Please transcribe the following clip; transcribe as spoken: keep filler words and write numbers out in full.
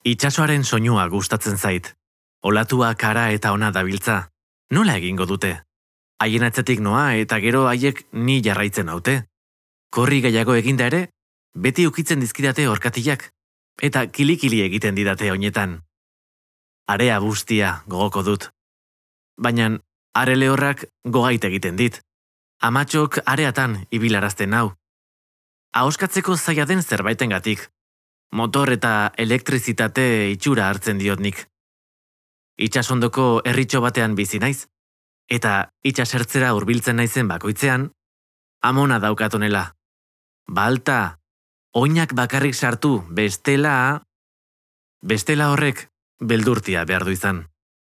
Itsasoaren soinua gustatzen zait. Olatua kara eta ona dabiltza. Nola egingo dute? Haien atzetik noa eta gero haiek ni jarraitzen naute. Korri gehiago eginda ere, beti ukitzen dizkidate orkatilak. Eta kilikili egiten didate oinetan. Area bustia gogoko dut. Baina are lehorrak gogait egiten dit. Amatxok areatan ibilarazten hau. Ahoskatzeko zaila den zerbaitengatik. Motor eta elektrizitate itxura hartzen diot nik. Itsasondoko herritxo batean bizi naiz, eta itsasertzera hurbiltzen naizen bakoitzean, amona daukatonela. Balta, oinak bakarrik sartu, bestela... Bestela horrek beldurtia behar du izan.